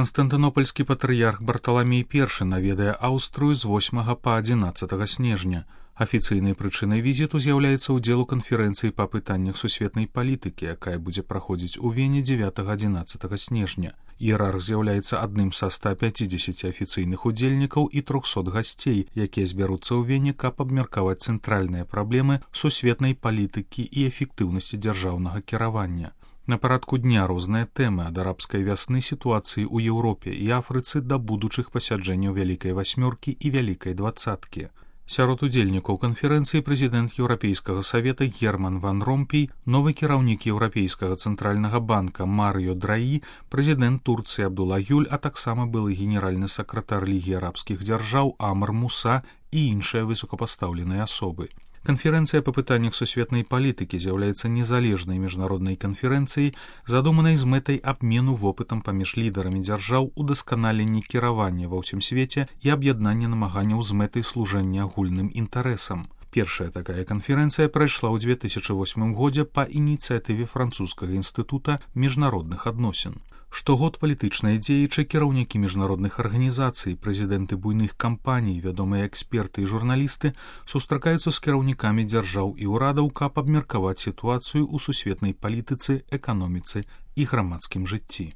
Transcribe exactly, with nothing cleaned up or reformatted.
Канстантынопольскі патрыярх Барталамей першы наведае Аўстрыю з восьмага па адзінаццатага снежня. Афіцыйнай прычынай візіту з'яўляецца ўдзел у канферэнцыі па пытаннях сусветнай палітыкі, якая будзе праходзіць у Вене дзевятага-адзінаццатага снежня. Іерарх з'яўляецца адным са ста пяцідзесяці афіцыйных удзельнікаў і трохсот гасцей, якія збяруцца ў Вене, каб абмеркаваць цэнтральныя праблемы сусветнай палітыкі і эфектыўнасці дзяржаўнага кіравання. На парадку дня розныя тэмы ад арабскай вясны, сітуацыі ў Еўропе і Афрыцы да будучых пасяджэнняў Вялікай васьмёркі і Вялікай дваццаткі. Сярод удзельнікаў канферэнцыі прэзідэнт Еўрапейскага савета Герман ван Ромпей, новы кіраўнік Еўрапейскага цэнтральнага банка Марыё Драі, прэзідэнт Турцыі Абдулла Гюль, а таксама былы генеральны сакратар Лігі арабскіх дзяржаў Амар Муса і іншыя высокапастаўленыя асобы. Канферэнцыя па пытаннях сусветнай палітыкі з'яўляецца незалежнай міжнароднай канферэнцыяй, задуманай з мэтай абмену вопытам паміж лідарамі дзяржаў, удасканалення кіравання ва ўсім свеце і аб'яднання намаганняў з мэтай служэння агульным інтарэсам. Першая такая канферэнцыя прайшла ў дзве тысячы восьмым годзе па ініцыятыве французскага інстытута міжнародных адносін. Штогод палітычныя дзеячы, кіраўнікі міжнародных арганізацый, прэзідэнты буйных кампаній, вядомыя эксперты і журналісты сустракаюцца з кіраўнікамі дзяржаў і ўрадаў, каб абмеркаваць сітуацыю ў сусветнай палітыцы, эканоміцы і грамадскім жыцці.